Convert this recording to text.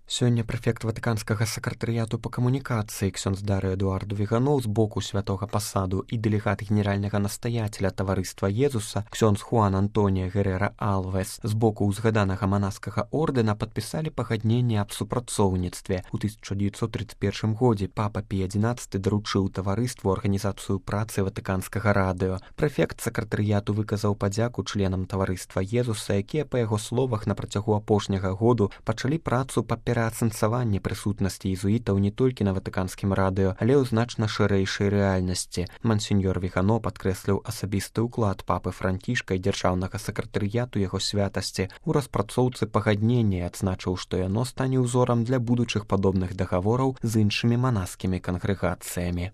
Сёння прэфект ватыканскага сакратарыяту па камунікацыі ксёндз Дарый Эдуарду Віганоў з боку святога пасаду і дэлегат генеральнага настаяцеля таварыства Езуса ксёндз Хуан Антонія Герера Алвес з боку ўзгаданага манаскага ордэна падпісалі пагадненне аб супрацоўніцтве. У 1931 годзе папа Пій XI даручыў таварыству арганізацыю працы ватыканскага радыё. Прэфект сакратарыяту выказаў падзяку членам таварыства Езуса, якія, па яго словах, на працягу апошняга году пачалі працу па пераасэнсаванні прысутнасці езуітаў не толькі на ватыканскім радыё, але ў значна шырэйшай рэальнасці. Мансеньор Вігано падкрэсліў асабісты ўклад папы Францішка і дзяржаўнага сакратарыяту яго святасці ў распрацоўцы пагаднення і адзначыў, што яно стане ўзорам для будучых падобных дагавораў з іншымі манаскімі кангрэгацыямі.